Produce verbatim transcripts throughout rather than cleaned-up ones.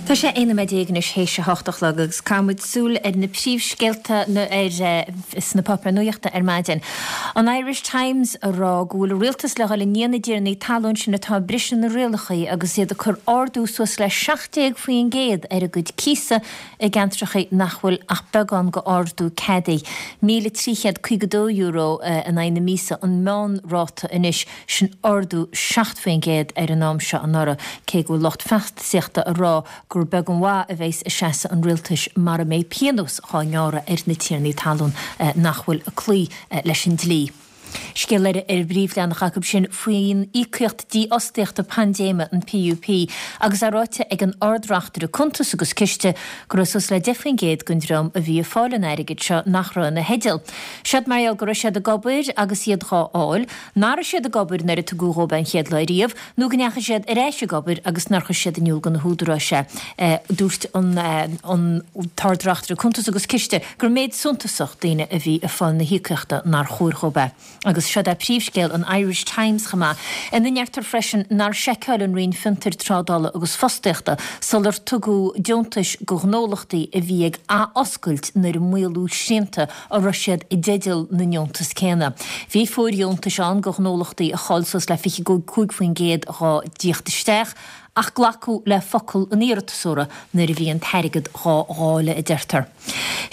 Tá sé aon nóiméad déag anois théis a hocht a chlog agus caithfidh muid súil ar na príomhscéalta ar sna páipéir nuachta ar maidin. An Irish Times a rá go bhfuil an rialtas le dhul i ndiaidh na dtiarnaí talún sin atá ag briseadh na rialacha agus iad ag cur ardú suas le seacht déag faoin gcéad ar a gcuid cíosa i gceantracha nach bhfuil ach beagán go ardú ceadaithe. míle trí chéad caoga dó euro in aghaidh na míosa an meánráta anois, sin ardú seacht faoin gcéad ar an am seo anuraidh, cé go bhfuil lucht feachtasaíochta a rá gur beag an mhaith a bheas i seasamh an rialtais mara mbeidh pionós dhá ngearradh ar na tiarnaí talún nach bhfuil ag cloí leis an dlí. Scéal eile ar an bpríomhleathanach acu sin faoin íocaíocht dífhostaíochta paindéime, an PUP, agus é ráite ag an Ard-Reachtaire Cuntas agus Ciste go raibh suas le deich faoin gcéad den dream a bhí ag fáil an airgid seo nach raibh ina theideal. Seod mar gheall go raibh siad ag obair agus iad dhá fháil, nach raibh siad ag obair nuair a tugadh dhóibh é an chéad lá riamh, nó go ndeachaigh siad ar ais ag obair agus nár chuir siad in iúl do na húdaráis é. Dúirt an tArd-Reachtaire Cuntas agus Ciste gur méid suntasach daoine a bhí ag fáil na híocaíochta nár chóir dhóibh é. Agus seod é príomhscéal an Irish Times chomh maith, ina ndeirtear freisin nár sheiceáil an Roinn Fiontair, Trádála agus Fostaíochta sular tugadh deontais do ghnólachtaí a bhí ag athoscailt nuair a maolaíodh srianta an raibh siad i dteideal na ndeontas céanna. Bhí fóirdheontais ann do ghnólachtaí a chaill suas le fiche cúig faoin gcéad dhá dtíocht isteach ach glacadh le focal an iarratasóra nuair a bhí an t-airgead dhá dháileadh, a deirtear.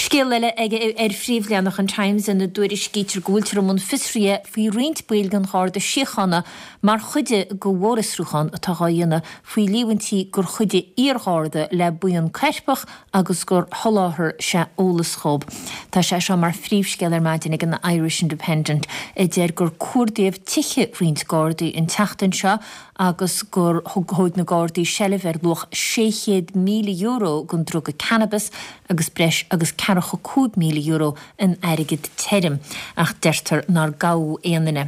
Scéal eile ar phríomhleathanach an Times ina dtuairiscítear go bhfuiltear i mbun fiosraithe faoi roinnt baill den Gharda Síochána mar chuid de mhórfhiosrúchán atá dhá dhéanamh faoi líomhaintí gur chuidigh iargharda le buíon coirpeach agus gur sholáthair sé eolas dhóibh. Tá sé seo mar phríomhscéal ar maidin ag an Irish Independent a deir gur cuardaíodh tithe roinnt Gardaí an tseachtain seo agus gur thóg na Gardaí seilbh ar luach sé chéad míle euro den druga cannabis agus breis agus ceathracha cúig míle euro in airgead tirim ach deirtear nár gabhadh aon duine.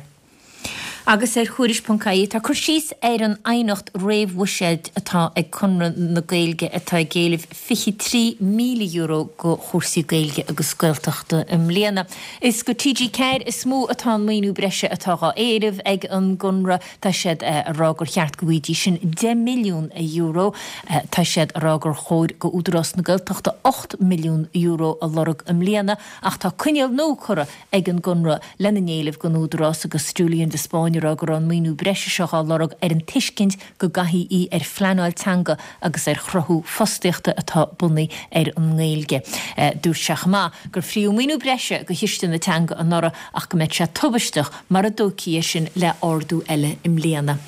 Agus ar Thuairisc ponc ie tá cur síos ar an aighneacht réamhbhuiséid atá ag Conradh na Gaeilge atá ag éileamh fiche trí míle euro go chúrsaí Gaeilge agus Gaeltachta i mbliana. Is go T G ceathair is mó atá an maoiniú breise atá dhá éileamh ag an gConradh. Tá siad a rá gur cheart go bhfaighidís sin deich milliún euro. Tá siad a rá gur chóir go Údarás na Gaeltachta ocht milliún euro a lorg i mbliana ach tá coinníoll nua curtha ag an gConradh lena n-éileamh don Údarás agus Julian de Spáinn ag rá go raibh an maoiniú breise seo á lorg ar an tuiscint go gcaithfí í ar phleanáil teanga agus ar chruthú fostaíochta atá bunaithe ar an nGaeilge. Dúirt sé chomh maith gur fríodh maoiniú breise do Chiste na Teanga anuraidh ach go mbeadh sé tubaisteach mara dtógfaí é sin le ardú eile i mbliana.